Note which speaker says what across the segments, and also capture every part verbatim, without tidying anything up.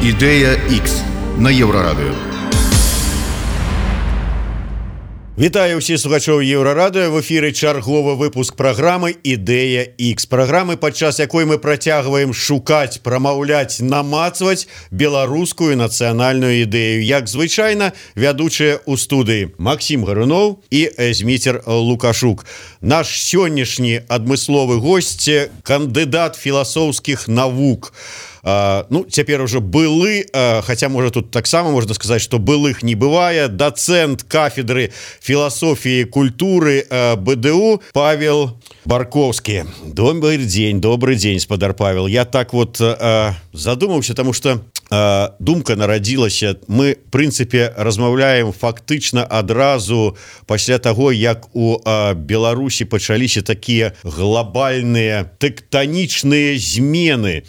Speaker 1: Ідэя Х на Еўрарадыё.
Speaker 2: Вітаю ўсіх слухачоў Еўрарадыё. В эфіры чарговы выпуск праграмы «Ідэя Х». Праграмы, падчас якой мы працягваем шукаць, прамаўляць, намацваць беларускую нацыянальную ідэю. Як звычайна, вядучыя ў студыі Максім Гаруноў і Зміцер Лукашук. Наш сённяшні адмысловы госць – кандыдат філасофскіх навук. Uh, ну, цяпер уже былы, uh, хотя, можа, тут таксама можна сказаць, што былых не бывае, дацэнт кафедры філасофіі культуры uh, БДУ Павел Барковскі. Добрый дзень, добрый дзень, спадар Павел. Я так вот uh, задумаўся, таму што uh, думка нарадзілася. Мы, в прынцыпе, размаўляем фактычна адразу пасля таго, як у uh, Беларусі пачаліся такія глобальныя тэктанічныя змены.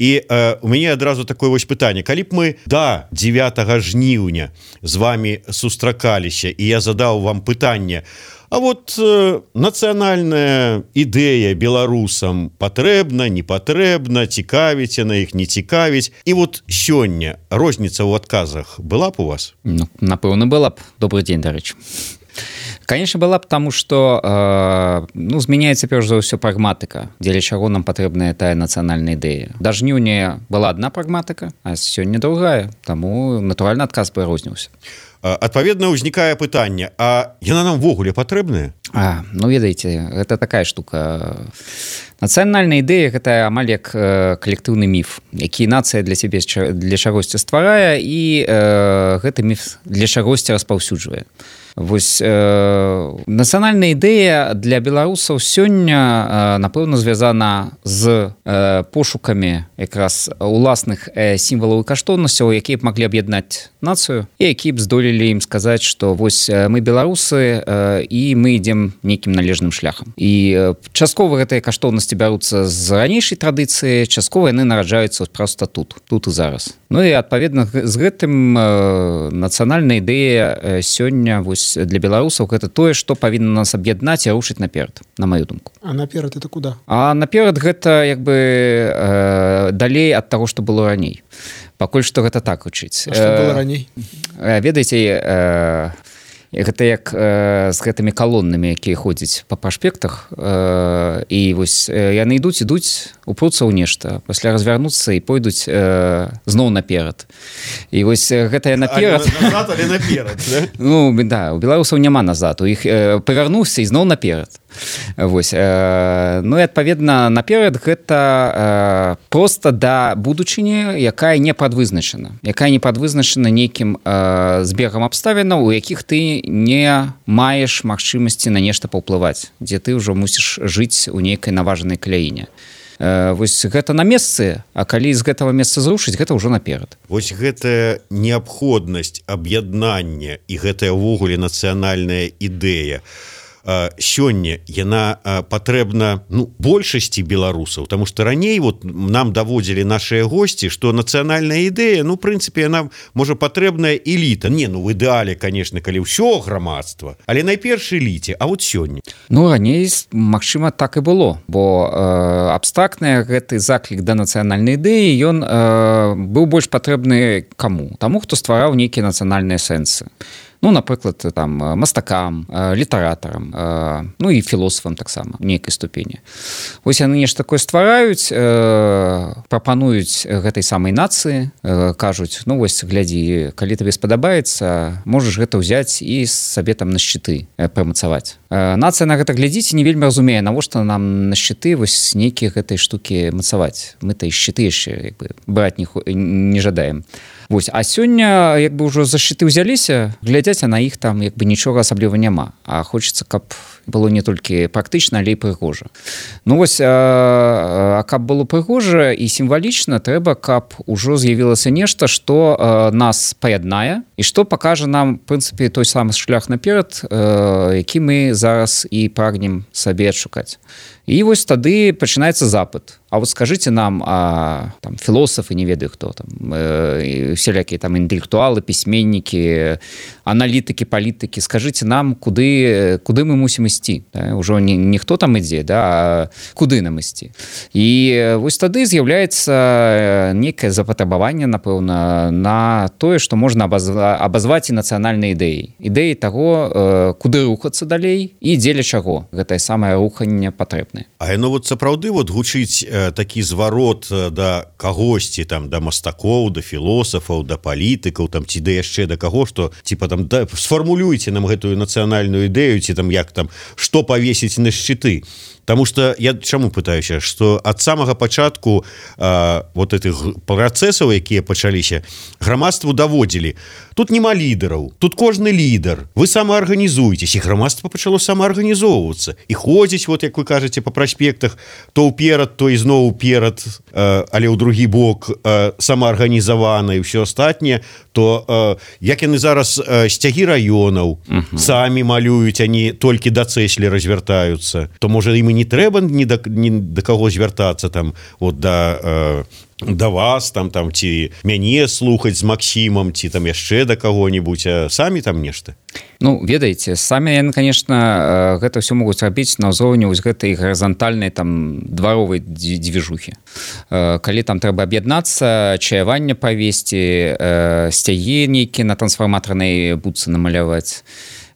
Speaker 2: І э, у мяне адразу такое вось пытанне. Калі б мы да дзевятага жніўня з вами сустракаліся, і я задаў вам пытанне, а вот э, нацыянальная ідэя беларусам патрэбна, не патрэбна, цікавіць яна іх, не цікавіць. І вот сёння розніца ў адказах была б у вас?
Speaker 3: Ну, напэўна, была б. Добрый дзень, дарэчы. Конечно, была, потому что э, ну, змяняецца перш за ўсё прагматыка, дзеля чаго нам патрэбная тая нацыянальная ідэя. Да жніўня была одна прагматыка, а сёння другая, таму натуральна адказ прырозніўся.
Speaker 2: Адпаведна, ўзнікае пытанне, а яна нам ввогуле патрэбная?
Speaker 3: А, ну, ведаеце, гэта такая штука. Нацыянальная ідэя – гэта амаль як э, калектыўны міф, які нацыя для сябе для чагосьці стварае, і э, гэты міф для чагосьці распаўсюджвае. Вось э, нацыянальная ідэя для беларусаў сёння, э, напэўна, звязана з э, пошукамі якраз уласных э, сімвалаў і каштоўнасцяў, якія б маглі аб'яднаць нацыю, і якія б здолелі ім сказаць, што вось мы беларусы, э, і мы ідзем нейкім належным шляхам. І э, часткова гэтыя каштоўнасці бяруцца з ранейшай традыцыі, часткова яны нараджаюцца проста тут, тут і зараз. Ну і адпаведна з гэтым э, нацыянальная ідэя э, сёння вось для беларусаў гэта тое, што павінна нас аб'яднаць і рушыць наперад, на маю думку.
Speaker 4: А наперад это куда?
Speaker 3: А наперад гэта як бы э, далей ад таго, што было раней. Пакуль што гэта так гучыць.
Speaker 4: А што было раней?
Speaker 3: Э, ведаеце, э, гэта як э, з гэтымі калоннамі, якія ходзяць па праспектах, э, і вось э, яны ідуць, ідуць, упруцца ў нешта, пасля развярнуцца і пойдуць э, зноў наперад. І вось гэтая наперад...
Speaker 2: А, назад, але наперад, да?
Speaker 3: Ну, да, у беларусаў няма назад, у іх э, павярнуўся і зноў наперад. Вось, э, ну і адпаведна наперад гэта э, проста да будучыні, якая не прадвызначана, якая не прадвызначана нейкім э, збегам абставінаў, у якіх ты не маеш магчымасці на нешта паўплываць, дзе ты ўжо мусіш жыць у нейкай наважанай краіне. Э, вось гэта на месцы, а калі з гэтага месца зрушыць, гэта ўжо наперад.
Speaker 2: Вось гэтая неабходнасць аб'яднання і гэтая ўвогуле нацыянальная ідэя сёння яна патрэбна, ну, большасці беларусаў, таму што раней вот нам даводзілі нашыя госці, што нацыянальная ідэя, ну, в прынцыпе, яна можа патрэбная эліта. Не, ну, в ідэале, конечно, калі ўсё грамадства, але найперш эліце, а вот сёння.
Speaker 3: Ну, раней, магчыма, так і было, бо э, абстрактны гэты заклік да нацыянальнай ідэі, ён э, быў больш патрэбны каму? Таму, хто ствараў нейкія нацыянальныя сэнсы. Ну, напрыклад, там, мастакам, літаратарам, ну і філосафам таксама, нейкай ступені. Вось яны нешта такое ствараюць, прапануюць гэтай самай нацыі, кажуць, ну вось, глядзі, калі табе спадабаецца, можаш гэта ўзяць і сабе там на шчыты прымацаваць. Нацыя на гэта глядзіць і не вельмі разумее, навошта нам на шчыты вось нейкія гэтай штукі мацаваць. Мы-то і шчыты яшчэ, як бы, браць не, не жадаем. Вось, а сёння, як бы, ўжо за шчыты ўзяліся, глядзяць, а на іх там, як бы, нічога асабліва няма. А хочацца, каб было не толькі практычна, але і прыгожа. Ну, вось, а, а каб было прыгожа і сімвалічна, трэба, каб ужо з'явілася нешта, што а, нас паяднае, і што пакажа нам, в прынцыпе, той самы шлях наперад, а, які мы зараз і прагнем сабе адшукаць. І вось тады пачынаецца запыт. А вот скажите нам, а, там, философы, не ведаю кто там, э, всякие там интеллектуалы, письменники, аналитики, политики, скажите нам, куды, куды мы мусим ісці, да? Уже не, не хто там ідзе, да, а куды нам ісці. І вось тады з'яўляецца некае запатрабаванне, напэўна, на тое, што можна абазваць і нацыянальнай ідэі. Ідэі таго, куды рухацца далей і дзеля чаго гэтае самае руханне патрэбнае.
Speaker 2: А яно вот сапраўды вот гучыць э, такі зварот э, да кагосьці, там, да мастакоў, да філосафаў, да палітыкаў, там, ці да яшчэ да каго, што типа там да, сфармулюйце нам гэтую нацыянальную ідэю, ці там як там, што павесіць на шчыты. Потому что я чаму пытаюся, что от самого пачатку э, вот этих працэсаў, якія пачаліся, грамадству даводзілі. Тут няма лідараў, тут кожны лідар. Вы самаарганізуетесь, і грамадства пачало самаарганізоўвацца. І ходзіць, вот як вы кажаце, по праспектах, то ўперад, то ізноў уперад, э, але ў другі бок э, самаарганізавана і ўсё астатняе, то э, як яны зараз э, сцягі раёнаў uh-huh. самі малююць, они толькі да цэслі развяртаюцца, то можа ім і не трэба ні да, ні да каго звяртацца там вот да э, да вас там там ці мяне слухаць з Максімам, ці там яшчэ да каго-нибудь, а самі там нешта.
Speaker 3: Ну, ведаеце, самі яны, конечно, гэта ўсё могуць рабіць на ўзроўні вось гэтай гарызантальнай там дваровай дзвіжухі. Калі там трэба аб'яднацца, чаяванне правесці, сцягі нейкія на трансфарматарнай будцы намаляваць,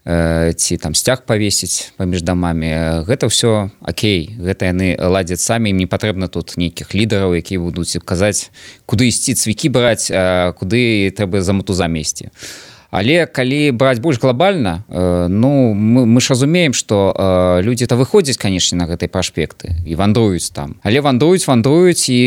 Speaker 3: ці там сцяг павесіць паміж дамамі, гэта ўсё окей, гэта яны ладзяць самі, ім не патрэбна тут нейкіх лідараў, якія будуць казаць, куды ісці цвікі браць, а куды трэба за матузамі ісці. Але калі браць больш глобальна, э, ну мы, мы ж разумеем, што э, людзі-то выходзяць, канешне, на гэтай праспекты і вандруюць там. Але вандруюць, вандруюць, і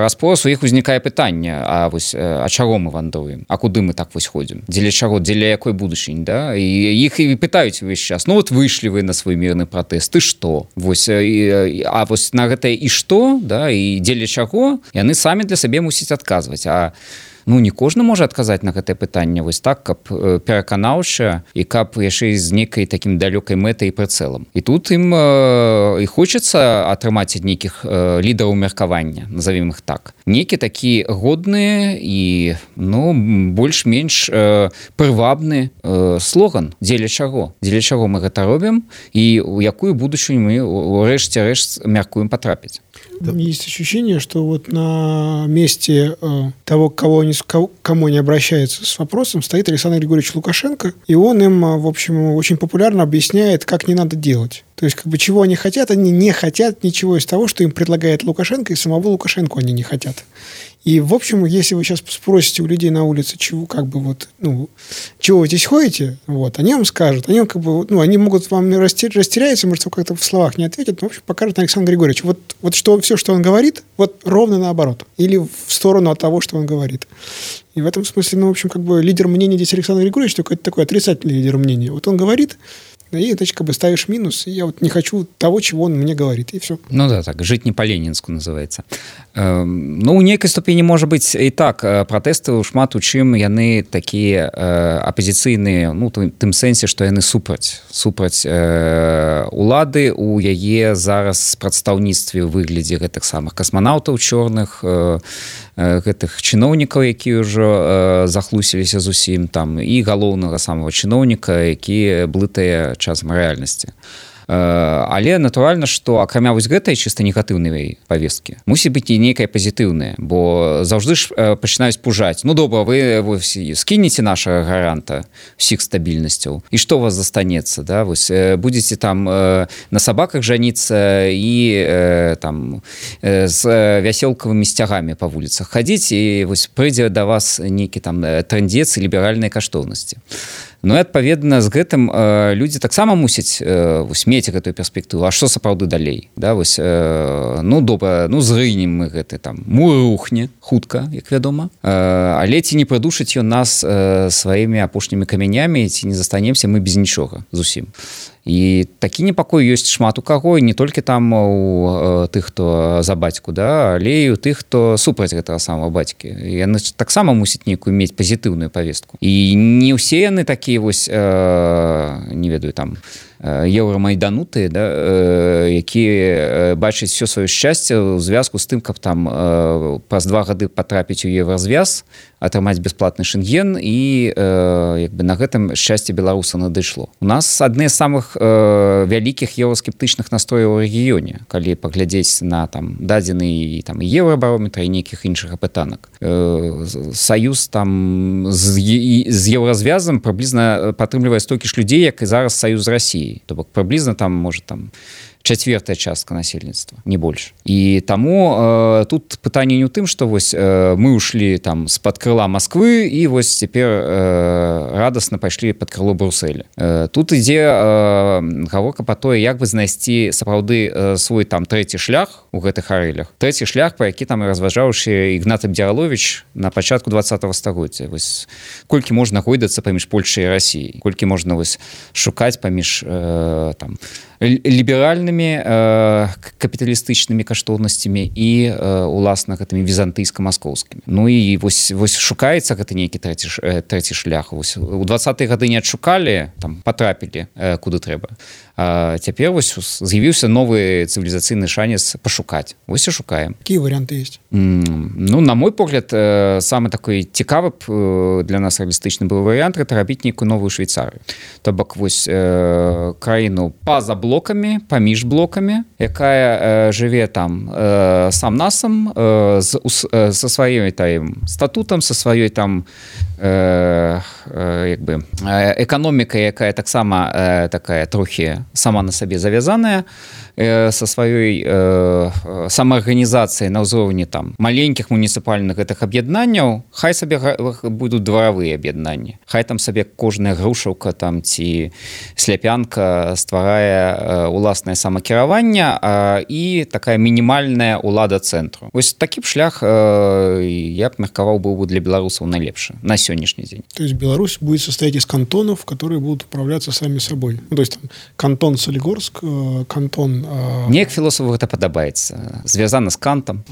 Speaker 3: распрос у іх узнікае пытанне, а вось а чаго мы вандруем? А куды мы так вось ходзім? Дзеля чаго? Дзеля якой будучыні, да? І іх і пытаюць увесь час. Ну вот выйшлі вы на свой мірны пратэст, і што? Вось, і, а вось на гэтае і што, да, і дзеля чаго? Яны самі для сабе мусяць адказваць. А ну, не кожны можа адказаць на гэтае пытанне вось так, каб пераканаўча і каб яшчэ з нейкай такім далёкай мэтай і прыцэлам. І тут ім э, і хочацца атрымаць ад нейкіх э, лідараў меркавання, назовем іх так. Нейкі такі годныя і, ну, больш-менш э, прывабны э, слоган, дзеля чаго? Дзеля чаго мы гэта робім і ў якую будучыню мы ўрэшце рэшт мяркуем потрапіць.
Speaker 4: Есть ощущение, что вот на месте э, того, кого они, к кому они обращаются с вопросом, стоит Александр Григорьевич Лукашенко, и он им, в общем, очень популярно объясняет, как не надо делать. То есть, как бы, чего они хотят, они не хотят ничего из того, что им предлагает Лукашенко, и самого Лукашенко они не хотят. И, в общем, если вы сейчас спросите у людей на улице, чего, как бы, вот, ну, чего вы здесь ходите, вот, они вам скажут, они, как бы, ну, они могут вам растеряться, может, как-то в словах не ответят, но, в общем, покажут Александр Григорьевич. Вот, вот что, все, что он говорит, вот ровно наоборот. Или в сторону от того, что он говорит. И в этом смысле, ну, в общем, как бы, лидер мнения здесь Александр Григорьевич, только это такой отрицательный лидер мнения. Вот он говорит, и, значит, как бы ставишь минус, и я вот не хочу того, чего он мне говорит, и все.
Speaker 3: Ну да, так, жить не по-ленинску называется. Э, ну, у нейкай ступені можа быць і так, пратэсты шмат у чым яны такія э, апазіцыйныя, ну, тым сэнсе, што яны супраць, супраць э, улады у яе зараз прадстаўніцтве ў выглядзе гэтых самых касманаўтаў чорных, э, гэтых чыноўнікаў, якія ўжо э, захлусіліся зусім там, і галоўнага самого чыноўніка, які блытае часам рэальнасці. Але натуральна, што акрамя вось гэтай чыста негатыўнай павесткі мусіць быць і нейкая пазітыўная, бо заўжды ж пачынаюць пужаць. Ну добра, вы скінеце нашага гаранта ўсіх стабільнасцяў, і што у вас застанецца, да? Вось будзеце там на сабаках жаніцца і там з вяселкавымі сцягамі па вуліцах хадзіць, і вось прыйдзе да вас нейкі там трындзец і ліберальныя каштоўнасці. Ну і адпаведна з гэтым э, людзі таксама мусяць э, мець гэтую перспектыву. А што сапраўды далей? Да, вось, э, ну добра, ну зрынем мы гэты там мур рухне хутка, як вядома. Э, але ці не прыдушыць ён нас э, сваімі апошнімі камянямі, ці не застанемся мы без нічога зусім. і такі непакой ёсць шмат у каго, не толькі там у тых, хто за бацьку, да, але і у тых, хто супраць гэтага самого бацькі. Яны таксама мусяць нейкую мець пазітыўную павестку. І не ўсе яны такія вось, э, не ведаю, там, еўрамайданутыя, да, якія бачаць все сваё шчасце ў звязку з тым, каб там праз два гады патрапіць у еўразвяз, атрымаць бясплатны шэнген і як бы на гэтым шчасце беларуса надышло. У нас адны з самых вялікіх еўраскептычных настрояў у рэгіёне, калі паглядзець на там дадзены і там еўрабарометра і нейкіх іншых апытанак. Саюз там з, з еўразвязам прыблізна падтрымлівае столькі ж людзей, як і зараз саюз з Расіяй. То бок прыблізна там можа там чацвёртая частка насельніцтва, не больш. І таму э, тут пытанне не ў тым, што вось э, мы ушлі там з-пад крыла Масквы і вось цяпер э, радасна пайшлі пад крыло Брусэля. Э, тут ідзе э, гаворка па тое, як бы знайсці сапраўды э, свой там трэці шлях у гэтых арэлях. Трэці шлях, па які там разважаўшы Ігнат Абдзіраловіч на пачатку двадцатага стагоддзя. Вось колькі можна гойдацца паміж Польшай і Расіяй, колькі можна вось шукаць паміж э, там ліберальнымі э, капіталістычнымі каштоўнасцямі і э, уласна гэтымі візантыйска-маскоўскімі. Ну і вось, вось шукаецца гэты нейкі трэці, трэці шлях. Вось, у двадцатыя гады не адшукалі, там патрапілі э, куды трэба. А цяпер вось з'явіўся новы цывілізацыйны шанец пашукаць. Вось і шукаем.
Speaker 4: Какие варианты есть?
Speaker 3: Mm, ну, на мой погляд, э, самы такой цікавы э, для нас реалістычны быў варыянт гэта рабіць нейкую новую Швейцарыю. То бок вось э, краіну па-за блокамі, паміж блокамі, якая э, жыве там э, сам-насам э, з, э, са сваёй там статутам, са сваёй там э, э, як бы э, эканомікай, якая таксама э, такая трохі сама на сабе завязаная, э, са сваёй э, самаарганізацыяй на ўзроўні там маленькіх муніцыпальных гэтых аб'яднанняў, хай сабе будуць дваравыя аб'яднанні. Хай там сабе кожная грушаўка там ці сляпянка стварае э, уласнае самакіраванне э, і такая мінімальная ўлада цэнтру. Вось такі б шлях э, я б меркаваў быў бы для беларусаў найлепшы на сённяшні дзень.
Speaker 4: То есть Беларусь будет состоять из кантонов, которые будут управляться сами собой. Ну, то есть там кантон Солигорск, э, кантон... Э...
Speaker 3: Мне як філософу гэта падабаецца. Звязана з Кантам.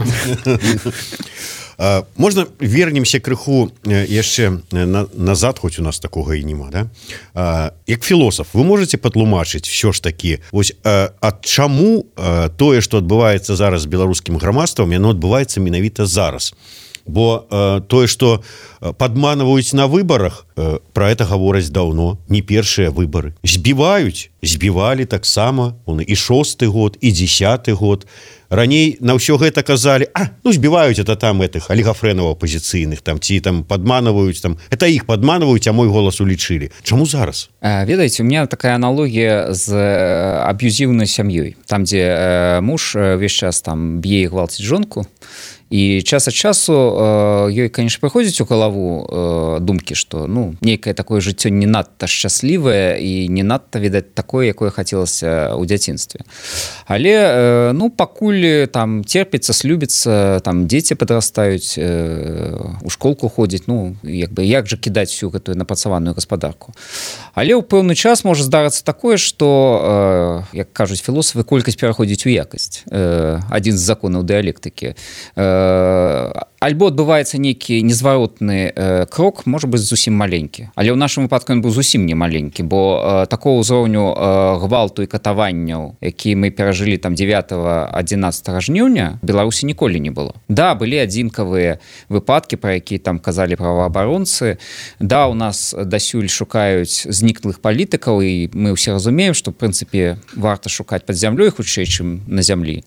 Speaker 2: Можна вернемся крыху яшчэ назад, хоць у нас такога і нема, да? Як філосаф, вы можете патлумачыць все ж такі, вось ад чаму тое, што адбываецца зараз з беларускім грамадствам, яно адбываецца менавіта зараз? Бо э, тое, што падманваюць на выбарах, э, пра гэта гавораць даўно, не першыя выбары. Збіваюць, збівалі таксама, і шосты год, і дзесяты год. Раней на ўсё гэта казалі, а, ну збіваюць это там этих алігафрэнаў апозіцыйных, там, ці там падманваюць, там, это іх падманваюць, а мой голас улічылі. Чаму зараз?
Speaker 3: Ведаеце, у меня такая аналогія з аб'юзіўнай сям'ёй, там, дзе муж увесь час там б'е і гвалціць жонку, і час ад часу ёй, конечно, прыходзіць у галаву думкі, што ну нейкае такое жыццё не надта шчаслівае і не надта, відаць, такое, якое хацелася ў дзяцінстве. Але ну пакуль там терпіцца, слюбіцца, там дзеці падрастаюць, у школку ходзяць, ну як бы як жа кідаць всю гэтую напрацаваную гаспадарку. Але ў пэўны час можа здарыцца такое, што, як кажуць філосафы, колькасць пераходзіць у якасць. Адзін з законаў дыялектыкі. Альбо адбываецца нейкі незваротны э, крок, можа быць зусім маленькі. Але ў нашым выпадку ён быў зусім не маленькі, бо э, такого ўзроўню э, гвалту і катаванняў, які мы перажылі там дзевятага-адзінаццатага жніўня, Беларусі ніколі не было. Да, былі адзінкавыя выпадкі, пра якія там казалі праваабаронцы. Да, у нас дасюль шукаюць зніклых палітыкаў, і мы ўсе разумеем, што в прынцыпе варта шукаць пад зямлёй хутчэй, чым на зямлі.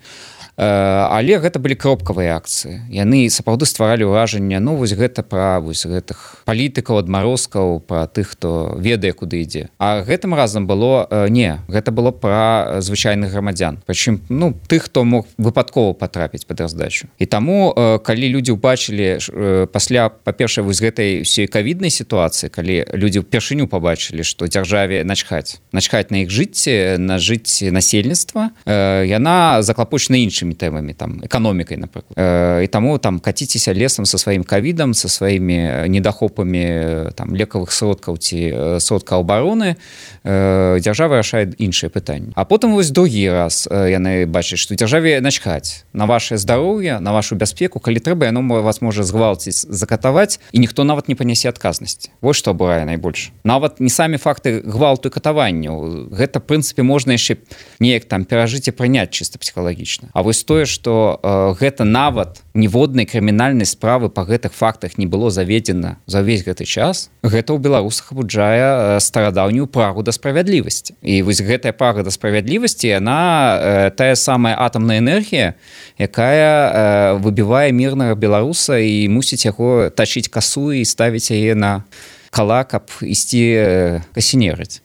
Speaker 3: Але гэта былі кропкавыя акцыі. Яны сапраўды стваралі ўражанне, ну вось гэта пра вось гэтых палітыкаў, адмарозкаў, пра тых, хто ведае, куды ідзе. А гэтым разам было не, гэта было пра звычайных грамадзян. Прычым, ну, тых, хто мог выпадкова патрапіць пад раздачу. І таму, калі людзі ўбачылі пасля, па-першае, вось гэтай ўсёй кавіднай сітуацыі, калі людзі ўпершыню пабачылі, што дзяржаве начхаць, начхаць на іх жыцці, на жыцці насельніцтва, яна заклапочана іншым іншымі тэмамі там эканомікай, напрыклад. І таму там каціцеся лесам са сваім ковідам, са сваімі недахопамі там лекавых сродкаў ці сродкаў абароны, дзяржава рашае іншыя пытанні. А потым вось другі раз яны бачаць, што дзяржаве начхаць на ваше здароўе, на вашу бяспеку, калі трэба, яно вас можа згвалціць, закатаваць, і ніхто нават не панясе адказнасці. Вось што абурае найбольш. Нават не самі факты гвалту і катаванняў. Гэта, в прынцыпе, можна яшчэ неяк там перажыць і прыняць чыста псіхалагічна. А вось тое, што э, гэта нават ніводнай крымінальнай справы па гэтых фактах не было заведзена за ўвесь гэты час, гэта ў беларусах абуджае старадаўнюю прагу да справядлівасці. І вось гэтая прага да справядлівасці, яна э, тая самая атамная энергія, якая э, выбівае мірнага беларуса і мусіць яго тачыць касу і ставіць яе на кала, каб ісці э, касінерыць.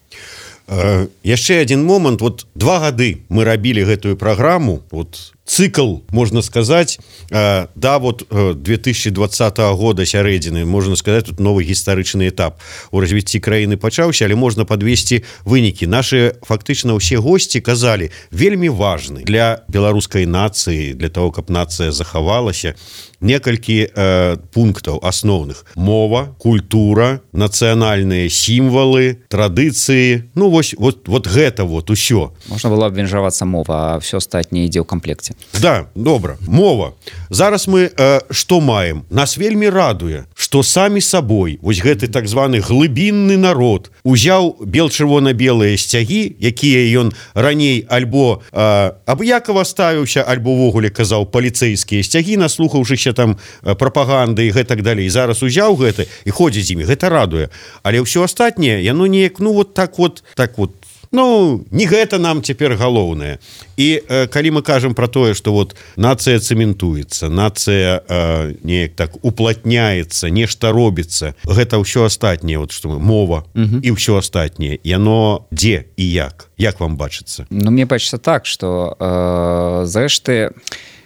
Speaker 2: Э, яшчэ адзін момант. Вот два гады мы рабілі гэтую праграму, вот цикл, можно сказать, э, да, вот э, две тысячи двадцатого года сярэдзіны, можно сказать, тут новый гістарычны этап у развіцці краіны пачаўся, але можна подвесці вынікі. Наши фактычна ўсе госці казалі, вельмі важны для беларускай нацыі, для того, каб нацыя захавалася, некалькі э, пунктаў асноўных: мова, культура, нацыянальныя сімвалы, традыцыі. Ну вось вот, вот гэта вот усё.
Speaker 3: Можна было абвенжавацца мова, а все астатняе ідзе ў камплекце.
Speaker 2: Да, добра. Мова. Зараз мы э, што маем? Нас вельмі радуе, што самі сабой вось гэты так званы глыбінны народ узяў бел-чырвона-белыя сцягі, якія ён раней альбо э, абыякава ставіўся, альбо ўвогуле казаў паліцэйскія сцягі, наслухаўшыся там прапаганды і гэтак далей. Зараз узяў гэта і ходзіць з імі. Гэта радуе. Але ўсё астатняе, яно неяк, ну вот так вот, так вот, ну, не гэта нам цяпер галоўнае. І э, калі мы кажам про тое, што вот нацыя цэментуецца, нацыя э, неяк так уплатняецца, нешта робіцца, гэта ўсё астатняе, вот што мы, мова угу. і ўсё астатняе, яно дзе і як? Як вам бачыцца?
Speaker 3: Ну, мне бачыцца так, што э, зрэшты,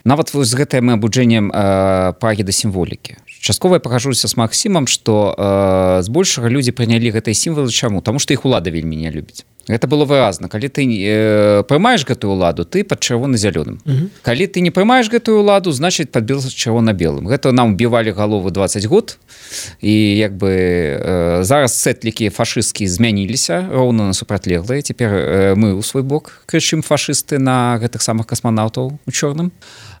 Speaker 3: нават з гэтым абуджэннем э, прагі да сімволікі. Часткова я пагажуся з Максімам, што э, збольшага людзі прынялі гэтыя сімвалы. Чаму? Таму што іх улада вельмі не любіць. Гэта было выразна. Калі ты э, прымаеш гэтую ўладу, ты пад чырвона-зялёным. Uh-huh. Калі ты не прымаеш гэтую ўладу, значыць пад чырвона-белым. Гэта нам убівалі галовы дваццаць год. І як бы э, зараз сэтлікі фашысцкія змяніліся роўна на супрацьлеглыя. Цяпер э, мы ў свой бок крычым фашысты на гэтых самых касманаўтаў у чорным.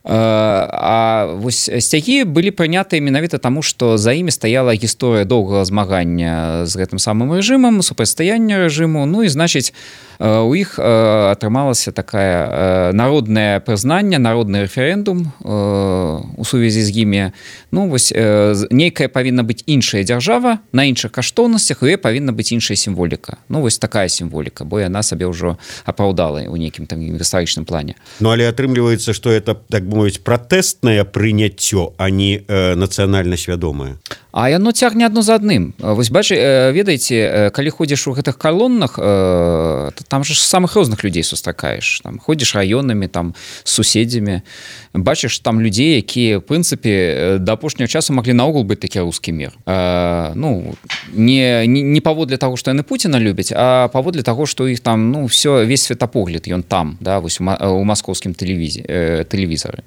Speaker 3: А вось сцягі былі прынятыя менавіта таму, што за імі стаяла гісторыя доўгага змагання з гэтым самым рэжымам, супрацьстаяння рэжыму. Ну і значыць, у іх атрымалася такая народнае прызнанне, народны рэферэндум у сувязі з імі. Ну вось нейкая павінна быць іншая дзяржава на іншых каштоўнасцях, і павінна быць іншая сімволіка. Ну вось такая сімволіка, бо яна сабе ўжо апраўдала ў нейкім там гістарычным плане.
Speaker 2: Ну але атрымліваецца, што это так мовіць пратэстнае прыняццё, а не э, нацыянальна свядомае.
Speaker 3: А яно цягне адно за адным. Вось бачы, ведаеце, калі ходзіш у гэтых калоннах, там же самых розных людзей сустракаеш. Там ходзіш раёнамі, там з суседзямі, бачыш там людзей, якія в прынцыпе да апошняга часу маглі наогул быць такі рускі мір. А, ну не, не, не паводле таго, што яны Пуціна любяць, а паводле таго, што іх там ну все весь светапогляд ён там, да, вось у, у маскоўскім тэлевізі, тэлевізары.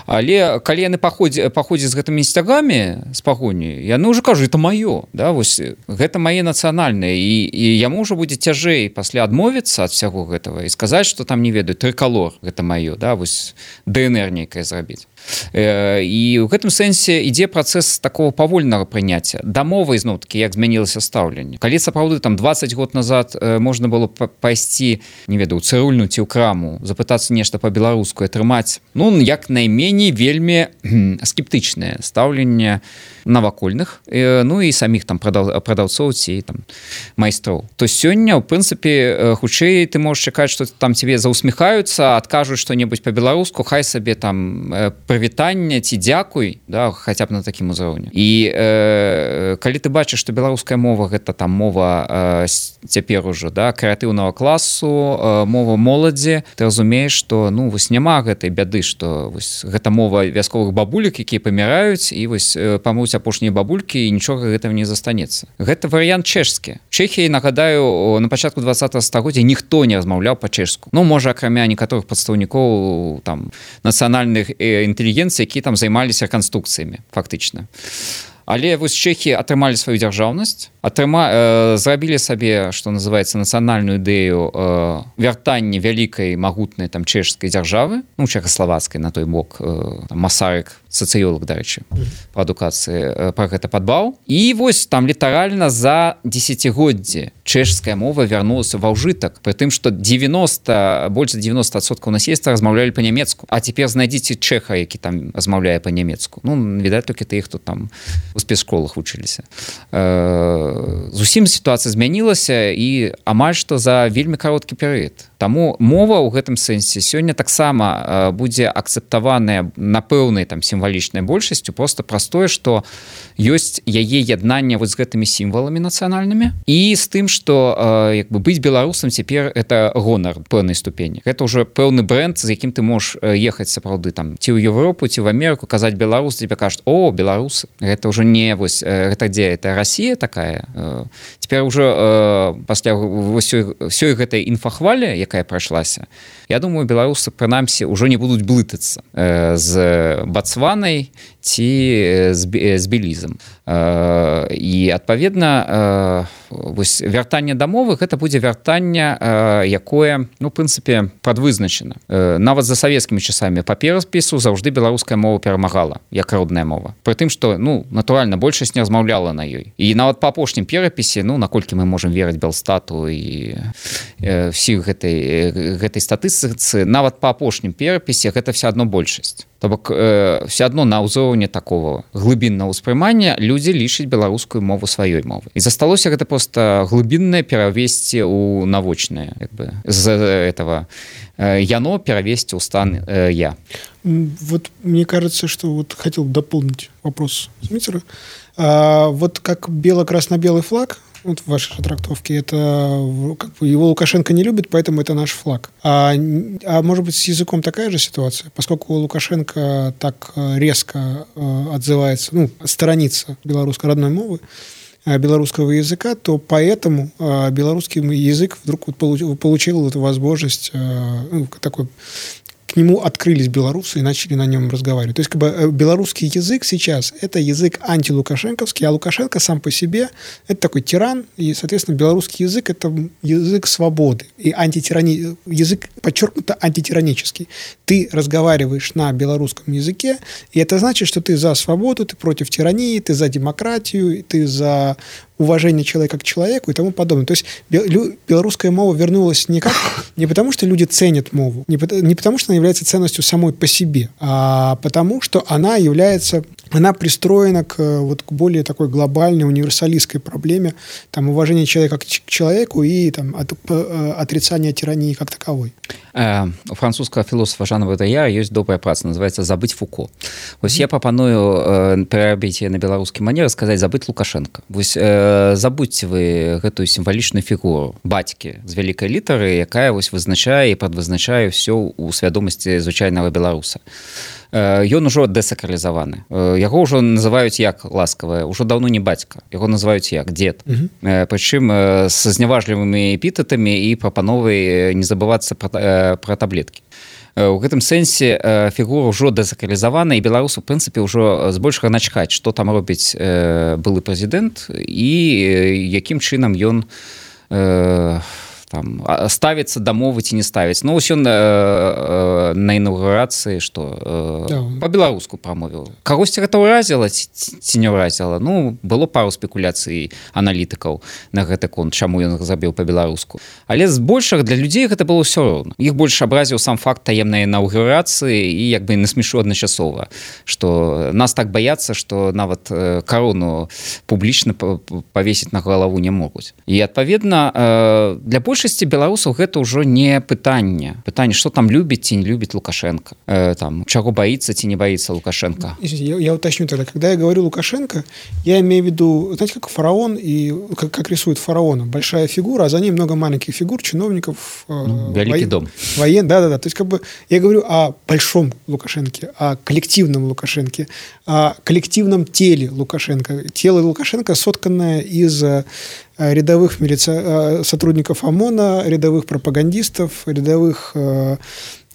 Speaker 3: Але калі яны паходзяць паходзяць з гэтымі сцягамі з пагоні, яны ўжо кажу, это маё, да, вось гэта мае нацыянальнае, і, і яму ўжо будзе цяжэй пасля адмовіцца ад всяго гэтага і сказаць, што там не ведаю, трыкалор гэта маё, да, вось ДНР нейкае зрабіць. І ў гэтым сэнсе ідзе працэс такого павольнага прыняцця. Да мовы ізноў-такі, як змянілася стаўленне. Калі сапраўды там дваццаць год назад можна было пайсці, не ведаю, у цырульну ці ў краму, запытацца нешта па-беларуску, атрымаць, ну, як найменей вельмі скептычнае стаўленне навакольных, ну і саміх там прадаўцоў ці там майстроў. То сёння, ў прынцыпе, хутчэй ты можаш чакаць, што там цябе заусміхаюцца, адкажуць што-небудзь па-беларуску, хай сабе там прывітанне ці дзякуй, да, хаця б на такім узроўні. І э, калі ты бачыш, што беларуская мова гэта там мова э, цяпер ужо, да, крэатыўнага класу, э, мова моладзі, ты разумееш, што ну вось няма гэтай бяды, што вось гэта мова вясковых бабулек, якія паміраюць, і вось э, памруць апошнія бабулі бабулькі і нічога гэтага не застанецца. Гэта варыянт чэшскі. Чэхіі, нагадаю, на пачатку двадцатага стагоддзя ніхто не размаўляў па-чэшску. Ну, можа, акрамя некаторых прадстаўнікоў там нацыянальных інтэлігенцый, які там займаліся рэканструкцыямі, фактычна. Але вось чэхі атрымалі сваю дзяржаўнасць, атрыма, э, зрабілі сабе, што называецца, нацыянальную ідэю э, вяртання вялікай магутнай там чэшскай дзяржавы, ну, чэхаславацкай на той бок, э, Масарык, сацыёлог, дарэчы, па адукацыі, э, пра гэта падбаў. І вось там літаральна за дзесяцігоддзі чэшская мова вярнулася ва ўжытак, пры тым, што девяносто, больш за девяносто адсоткаў насельніцтва размаўлялі па-нямецку. А цяпер знайдзіце чэха, які там размаўляе па-нямецку. Ну, відаць, толькі тых, хто там у спецшколах вучыліся. Э, зусім сітуацыя змянілася і амаль што за вельмі кароткі перыяд. Таму мова ў гэтым сэнсе сёння таксама будзе акцэптаваная на пэўнай там сімвалічнай большасцю, проста праз тое, што ёсць яе яднанне вот з гэтымі сімваламі нацыянальнымі і з тым, што э, як бы быць беларусам цяпер это гонар пэўнай ступені. Гэта ўжо пэўны брэнд, з якім ты можаш ехаць сапраўды там ці ў Еўропу, ці в Амерыку, казаць беларус, тебе кажуць: "О, беларусы". Гэта ўжо не вось гэта дзе это Расія такая. Цяпер ужо э, пасля ўсёй гэтай інфахвалі, якая прайшлася, я думаю, беларусы прынамсі ўжо не будуць блытацца э, з Бацванай ці з, з Белізам. Э, і адпаведна э, вось вяртанне да мовы гэта будзе вяртанне, э, якое, ну, в прынцыпе, прадвызначана. Э, нават за савецкімі часамі па перапісу заўжды беларуская мова перамагала як родная мова. Пры тым, што, ну, натуральна, большасць не размаўляла на ёй. І нават па апошнім перапісе, ну, наколькі мы можам верыць Белстату і э, всіх гэтай, гэтай статыстыцы, нават па апошнім перапісе гэта все адно большасць. То бок э, все адно на ўзроўні такого глыбіннага ўспрымання людзі лічаць беларускую мову сваёй мовай. І засталося гэта проста глыбіннае перавесці ў навочнае, як бы, з этого э, яно перавесці ў стан э, я.
Speaker 4: Вот мне кажется, что вот хотел дополнить вопрос Смитера. А, вот как бело-красно-белый флаг, вот в вашей трактовке, это как бы его Лукашенко не любит, поэтому это наш флаг. А, а может быть, с языком такая же ситуация? Поскольку Лукашенко так резко отзывается, ну, сторонится белорусской родной мовы, белорусского языка, то поэтому белорусский язык вдруг вот получил эту возможность, ну, такой... к нему открылись белорусы и начали на нем разговаривать. То есть как бы белорусский язык сейчас – это язык антилукашенковский, а Лукашенко сам по себе – это такой тиран, и, соответственно, белорусский язык – это язык свободы, и антитирани... язык подчеркнуто антитиранический. Ты разговариваешь на белорусском языке, и это значит, что ты за свободу, ты против тирании, ты за демократию, ты за уважение человека к человеку и тому подобное. То есть белорусская мова вернулась не, как, не потому, что люди ценят мову, не, не потому, что она является ценностью самой по себе, а потому, что она является, она пристроена к, вот, к более такой глобальной универсалистской проблеме там, уважения человека к человеку и там, от, отрицания тирании как таковой.
Speaker 3: У французскага філосафа Жана Бодаяра ёсць добрая праца, называется «Забыть Фуко». Вось mm-hmm. я прапаную перарабіць на беларускі манер, сказаць «Забыть Лукашенко». Вось забудьце вы гэтую сімвалічную фігуру бацькі з вялікай літары, якая вось вызначае і прадвызначае ўсё ў свядомасці звычайнага беларуса. Ён ужо дэсакралізаваны. Яго ўжо называюць як ласкавае, ўжо даўно не бацька. Яго называюць як дзед. Mm-hmm. Прычым са зняважлівымі эпітэтамі і прапановай не забывацца пра, пра таблеткі. У гэтым сэнсе фігура ўжо дэсакралізавана, і беларусу, в прынцыпе, ўжо збольшага начхаць, што там робіць былы прэзідэнт і якім чынам ён там ставіцца да мовы ці не ставіць. Ну, ось ён э, э, на інаўгурацыі, што э, да. па-беларуску прамовіў. Кагосьці гэта ўразіла ці, ці не ўразіла? Ну, было пару спекуляцый аналітыкаў на гэты конт, чаму ён забіў па-беларуску. Але збольшага для людзей гэта было ўсё роўна. Іх больш абразіў сам факт таемнай інаўгурацыі і як бы насмешу адначасова, што нас так баяцца, што нават э, карону публічна павесіць на галаву не могуць. І адпаведна, э, для больш большасці беларусаў гэта ўжо не пытанне пытанне что там любіць ці не любіць Лукашенко э, там чаго боится ці не боится Лукашенко.
Speaker 4: я, я уточню тогда, когда я говорю Лукашенко, я имею в виду, знаете, как фараон и как, как рисует фараона, большая фигура, а за ним много маленьких фигур, чиновников,
Speaker 3: ну, великий
Speaker 4: воен,
Speaker 3: дом,
Speaker 4: воен, да, да, да. То есть как бы я говорю о большом Лукашенке, о коллективном Лукашенке, о коллективном теле Лукашенко. Тело Лукашенко сотканное из рядовых милиция... сотрудников ОМОНа, рядовых пропагандистов, рядовых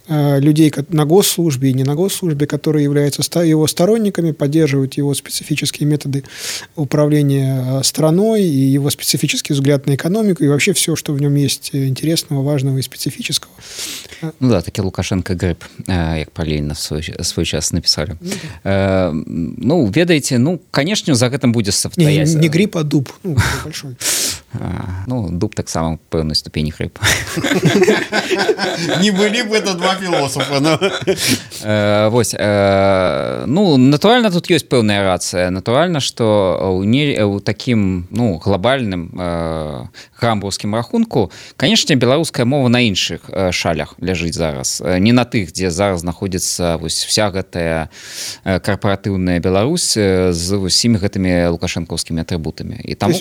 Speaker 4: людей на госслужбе и не на госслужбе, которые являются его сторонниками, поддерживают его специфические методы управления страной и его специфический взгляд на экономику и вообще все, что в нем есть интересного, важного и специфического.
Speaker 3: Ну да, таки Лукашенко гриб, як Палейна свой, свой час написали. Ну, да. э, ну, ведаете, ну, конечно, за гэтым будет
Speaker 4: стоять. Не, не гриб, а дуб. Ну, большой.
Speaker 3: А, ну, дуб так само в пэўнай ступені гриб.
Speaker 2: Не былі б это два філосафа, но...
Speaker 3: Вось, ну, натуральна, тут ёсць пэўная рацыя. Натуральна, што ў такім, ну, глобальным грамбургскім рахунку, канешне, беларуская мова на іншых шалях ляжыць зараз. Не на тых, дзе зараз знаходзіцца вось вся гэтая карпаратыўная Беларусь з усімі гэтымі лукашэнкаўскімі атрыбутамі. І таму...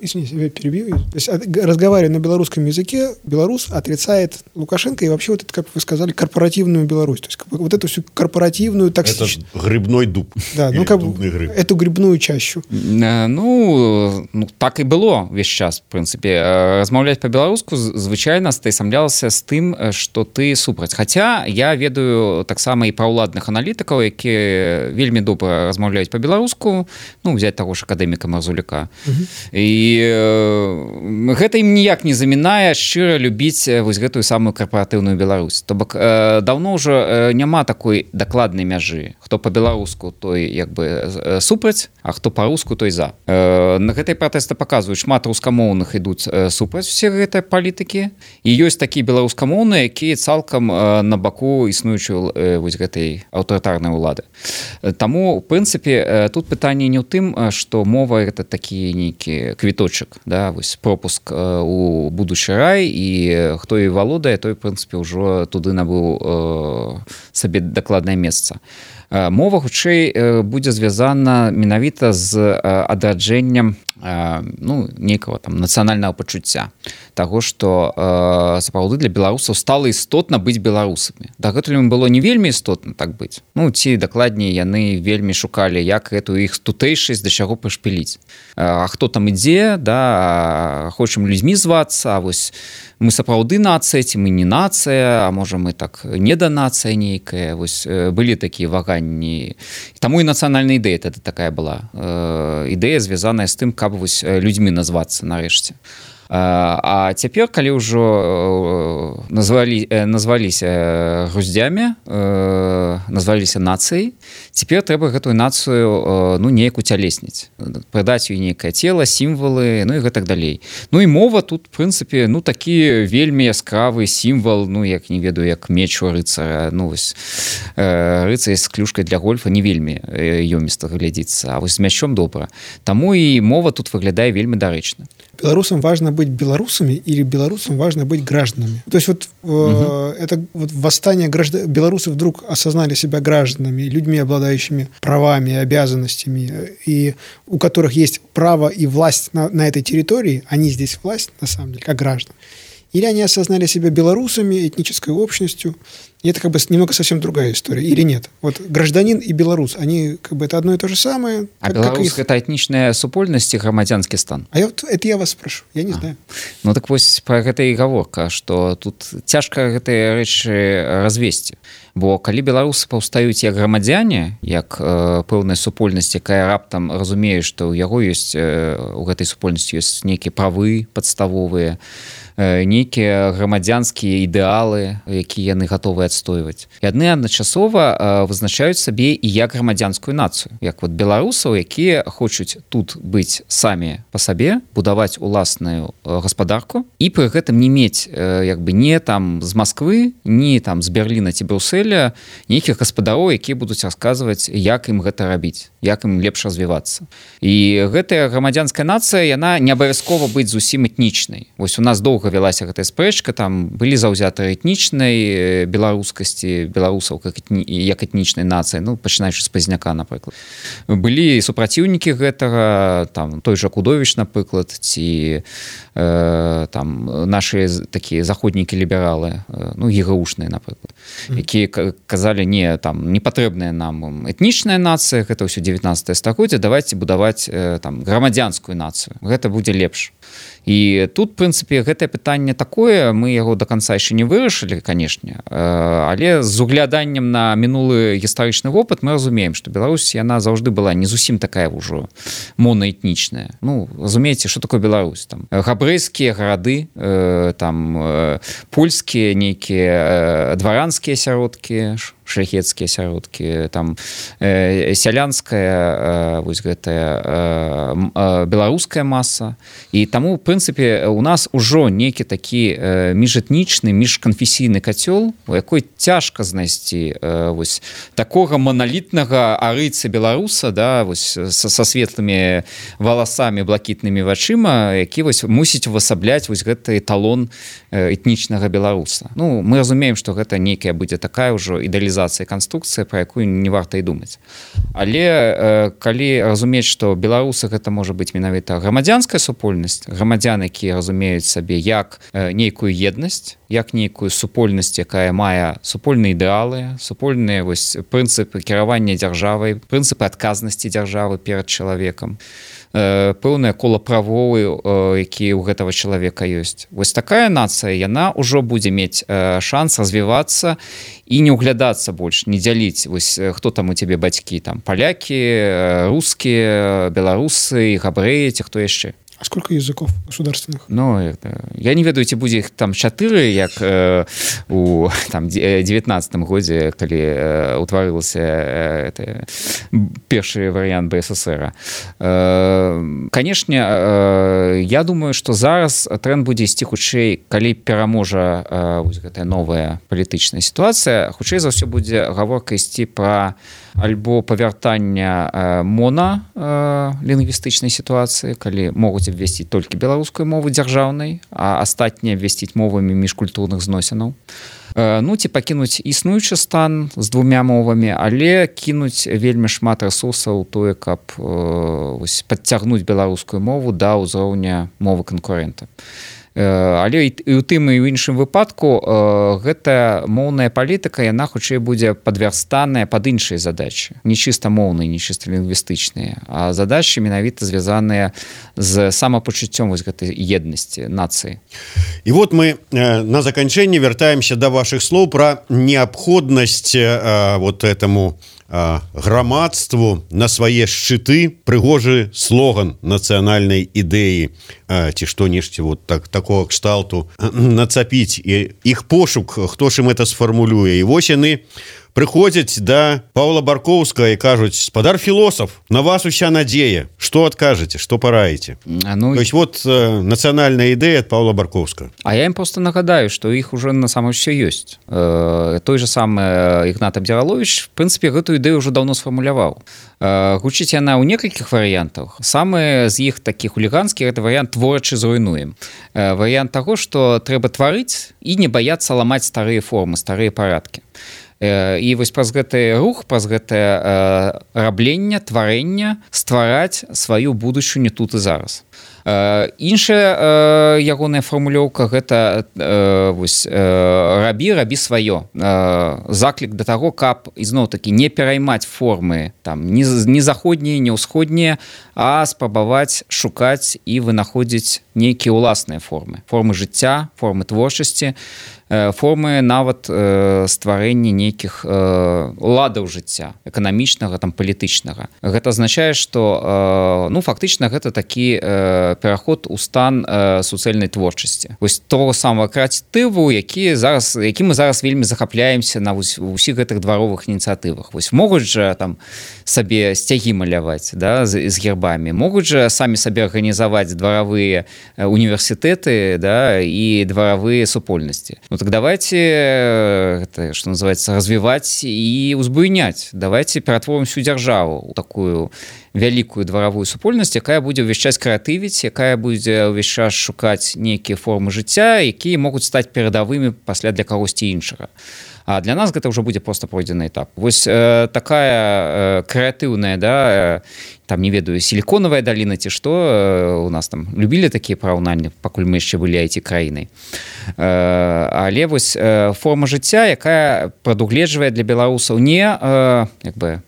Speaker 4: Извините, перебью. То есть, разговаривая на белорусском языке, белорус отрицает Лукашенко и вообще вот это, как вы сказали, корпоративную Беларусь. То есть, как бы, вот эту всю корпоративную токсичную...
Speaker 2: Это грибной дуб.
Speaker 4: Да, ну, как бы, гриб. Эту грибную чащу.
Speaker 3: Ну, ну, так и было весь час, в принципе. Размаўляць по-беларуску звычайно стаісамлялася з тым, что ты супраць. Хотя я ведаю таксама і пра ўладных аналітыкаў, якія вельмі добра размаўляюць по-беларуску, ну, взять таго ж акадэміка Марзуляка. Угу. І гэта ім ніяк не замінае шчыра любіць вось гэтую самую карпаратыўную Беларусь. То бок даўно ўжо няма такой дакладнай мяжы. Хто па-беларуску, той як бы супраць, а хто па-руску, той за. На гэтай пратэсты паказваюць, шмат рускамоўных ідуць супраць усе гэтай палітыкі. І ёсць такія беларускамоўныя, якія цалкам на баку існуючай вось гэтай аўтарытарнай улады. Таму, в прынцыпе, тут пытанне не ў тым, што мова гэта такі нейкі квіточак, да, вось пропуск э, у будучы рай, і хто і валодае, той, в прынцыпе, ўжо туды набыў э, сабе дакладнае месца. Э, мова, хутчэй, э, будзе звязана менавіта з э, адраджэннем э, ну, нейкага там нацыянальнага пачуцця. Таго, што э, сапраўды для беларусаў стала істотна быць беларусамі. Дагэтуль ім было не вельмі істотна так быць. Ну, ці дакладней, яны вельмі шукалі, як гэтую іх тутэйшасць да чаго прышпіліць. А хто там ідзе, да, хочам людзьмі звацца, а вось мы сапраўды нацыя, ці мы не нацыя, а можа мы так не да нацыя нейкая. Вось былі такія ваганні. Таму і нацыянальная ідэя тады такая была. Ідэя звязаная з тым, каб вось людзьмі назвацца нарэшце. А цяпер, калі ўжо назвалі, назваліся груздзямі, назваліся нацыяй, цяпер трэба гэтую нацыю ну, неяк уцялесніць, прыдаць ёй нейкае цела, сімвалы, ну і гэтак далей. Ну і мова тут, в прынцыпе, ну такі вельмі яскравы сімвал, ну як не ведаю, як меч у рыцара, ну вось рыцар з клюшкай для гольфа не вельмі ёміста глядзіцца, а вось з мячом добра. Таму і мова тут выглядае вельмі дарэчна.
Speaker 4: Белорусам важно быть белорусами или белорусам важно быть гражданами. То есть вот угу. э, это вот восстание граждан... белорусы вдруг осознали себя гражданами, людьми, обладающими правами, обязанностями, и у которых есть право и власть на, на этой территории, они здесь власть, на самом деле, как граждан. Или они осознали себя белорусами, этнической общностью, и это как бы немного совсем другая история, или нет? Вот гражданин и белорус, они как бы это одно и то же самое.
Speaker 3: А
Speaker 4: как,
Speaker 3: белорус
Speaker 4: как их...
Speaker 3: это этнічная супольнасць і грамадзянскі стан?
Speaker 4: А я, вот, это я вас спрошу, я не а. знаю.
Speaker 3: Ну так вось про гэта і гаворка, што тут цяжка гэтыя рэчы развесці. Бо калі беларусы паўстаюць як грамадзяне, як э, пэўная супольнасць, якая раптам разумее, што ў яго ёсць э, у гэтай супольнасці ёсць нейкія правы падставовыя, нейкія грамадзянскія ідэалы, якія яны гатовыя адстойваць. Яны адначасова вызначаюць сабе і як грамадзянскую нацыю, як вот беларусаў, якія хочуць тут быць самі па сабе, будаваць уласную гаспадарку і пры гэтым не мець як бы не там з Масквы, не там з Берліна ці Брюсселя нейкіх гаспадароў, якія будуць расказваць, як ім гэта рабіць, як ім лепш развівацца. І гэтая грамадзянская нацыя, яна не абавязкова быць зусім этнічнай. Вось у нас доўга вялася гэтая спрэчка, там былі заўзятары этнічнай беларускасці, беларусаў як, этні, як этнічнай нацыі, ну, пачынаючы з Пазняка, напрыклад. Былі супраціўнікі гэтага, там, той жа Кудовіч, напрыклад, ці э, там нашы такія заходнікі-лібералы, э, ну, ЕГУшныя, напрыклад, якія казалі, не, там, не патрэбная нам этнічная нацыя, гэта ўсё дзевятнаццатае стагоддзе, давайте будаваць э, там грамадзянскую нацыю. Гэта будзе лепш. І тут, в прынцыпе, гэтае пытанне такое, мы яго до конца яшчэ не вырашылі, канешне, але з угляданнем на мінулы гістарычны вопыт мы разумеем, што Беларусь, яна заўжды была не зусім такая ўжо монаэтнічная. Ну, разумееце, што такое Беларусь? Там габрэйскія гарады, там польскія нейкія дваранскія асяродкі, шляхецкія асяродкі, там э, сялянская э, вось гэтая э, э, беларуская маса. І таму, в прынцыпе, у нас ужо нейкі такі э, міжэтнічны, міжканфесійны кацёл, у якой цяжка знайсці э, вось такога маналітнага арыйца беларуса, да, вось са, са светлымі валасамі, блакітнымі вачыма, які вось мусіць увасабляць вось гэты эталон э, этнічнага беларуса. Ну, мы разумеем, што гэта нейкая будзе такая ўжо ідэалізацыя канструкцыя, пра якую не варта і думаць. Але э, калі разумець, што беларусы гэта можа быць менавіта грамадзянская супольнасць, грамадзян, якія разумеюць сабе як э, нейкую еднасць, як нейкую супольнасць, якая мае супольныя ідэалы, супольныя вось прынцыпы кіравання дзяржавай, прынцыпы адказнасці дзяржавы перад чалавекам, пэўнае кола правоў, якія ў гэтага чалавека ёсць. Вось такая нацыя, яна ўжо будзе мець шанс развівацца і не ўглядацца больш, не дзяліць, вось хто там у цябе бацькі, там палякі, рускія, беларусы, габрэі, ці хто яшчэ.
Speaker 4: А сколько языков государственных?
Speaker 3: Ну, это, я не ведаю, ці будзе іх там чатыры, як э, у там, девятнаццатым годзе, калі э, утварылася э, першы варыянт БССР. Э, Канешне, э, я думаю, што зараз тренд будзе ісці хутчэй, калі пераможа э, вось гэтая новая палітычная сітуацыя, хутчэй за ўсё будзе гаворка ісці пра альбо павяртання э, мона э, лінгвістычнай сітуацыі, калі могуць абвесціць толькі беларускую мову дзяржаўнай, а астатнія абвесціць мовамі міжкультурных зносінаў. Э, ну, ці пакінуць існуючы стан з двумя мовамі, але кінуць вельмі шмат рэсурсаў тое, каб э, вось, падцягнуць беларускую мову да ўзроўня мовы канкурэнта. Але і ў тым і ў іншым выпадку гэтая моўная палітыка, яна хутчэй будзе падвярстаная пад іншыя задачы, не чыста моўныя, не чыста лінгвістычныя, а задачы менавіта звязаныя з самапачуццём вось гэтай еднасці нацыі.
Speaker 2: І вот мы на заканчэнне вяртаемся да вашых слоў пра неабходнасць вот этому грамадству на свае шчыты прыгожы слоган нацыянальнай ідэі ці што-нешці вот так такого кшталту нацапіць, і іх пошук, хто ж ім это сфармулюе. І вось яны прыходзяць да Паўла Баркоўскага і кажуць: спадар філосаф, на вас уся надзея, што адкажаце, што параіце? Ну, то есть вот э, нацыянальная ідэя ад Паўла Баркоўскага.
Speaker 3: А я ім просто нагадаю, што іх уже на самом все ёсць. Э, той же самы Ігнат Абдзіраловіч, в прынцыпе, гэтую ідэю ўжо даўно сфармуляваў. Э, гучыць яна ў некалькіх варыянтах. Самы з іх такіх хуліганскіх — гэта варыянт творчы зруйнуем. Э, варыянт таго, што трэба тварыць і не баяцца ламаць старыя формы, старыя парадкі. І вось праз гэты рух, праз гэтае рабленне, тварэнне ствараць сваю будучыню тут і зараз. Іншая ягоная фармулёўка — гэта вось рабі, рабі сваё. Заклік да таго, каб ізноў-такі не пераймаць формы там ні заходнія, ні ўсходнія, а спрабаваць шукаць і вынаходзіць нейкія ўласныя формы. Формы жыцця, формы творчасці, формы нават стварэння нейкіх ладаў жыцця эканамічнага там палітычнага. Гэта азначае, што ну фактычна гэта такі пераход у стан суцэльнай творчасці. Вось того самого крэатыву, які зараз які мы зараз вельмі захапляемся на ўсіх гэтых дваровых ініцыятывах. Вось могуць жа там сабе сцягі маляваць, да, з, з гербамі, могуць жа самі сабе арганізаваць дваравыя універсітэты, да, і дваравыя супольнасці. Ну так давайте гэта, што называецца, развіваць і узбуйняць. Давайте ператворым всю дзяржаву у такую вялікую дваравую супольнасць, якая будзе ўвесь час крэатывіць, якая будзе ўвесь час шукаць нейкія формы жыцця, якія могуць стаць перадавымі пасля для кагосьці іншага. А для нас гэта ўжо будзе проста пройдзены этап. Вось э, такая э, крэатыўная, да, э, там, не ведаю, сіліконавая даліна ці што, э, у нас там любілі такія параўнанні, пакуль мы яшчэ былі ай ти-краінай. Э, але вось э, форма жыцця, якая прадугледжвае для беларусаў не э, як бы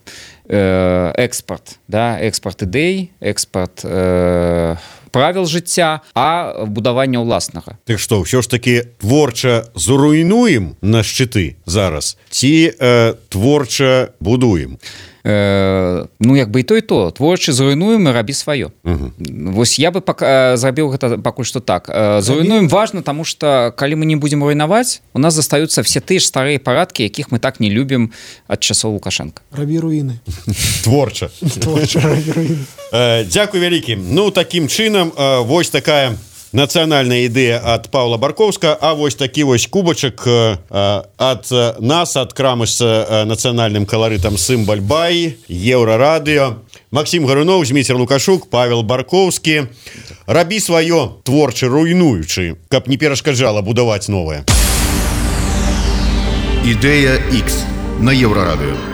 Speaker 3: экспорт, да, экспорт ідэй, экспорт э, правил жыцця, а будавання ўласнага.
Speaker 2: Так што, ўсё ж таки творча зруйнуем на шчыты зараз ці э, творча будуем?
Speaker 3: Э, ну як бы і то і то, творча зруйнуем і рабі сваё. Угу. Вось я бы пака, зрабіў гэта пакуль што так. Э, зруйнуем важна, таму што калі мы не будзем руйнаваць, у нас застаюцца все тыя ж старыя парадкі, якіх мы так не любім ад часоў Лукашенка.
Speaker 4: Рабі руіны.
Speaker 2: Творча.
Speaker 4: Творча рабі руіны.
Speaker 2: Э, дзякуй вялікі. Ну такім чынам, э, вось такая нацыянальная ідэя ад Паўла Баркоўска, а вось такі вось кубачак э, ад нас, ад крамы з э, нацыянальным каларытам Сымбаль-Бай, Еўрарадыё. Максім Гарунов, Зміцер Лукашук, Павел Баркоўскі. Рабі сваё, творча руйнуючы, каб не перашкаджала будаваць новае.
Speaker 1: Ідэя X на Еўрарадыё.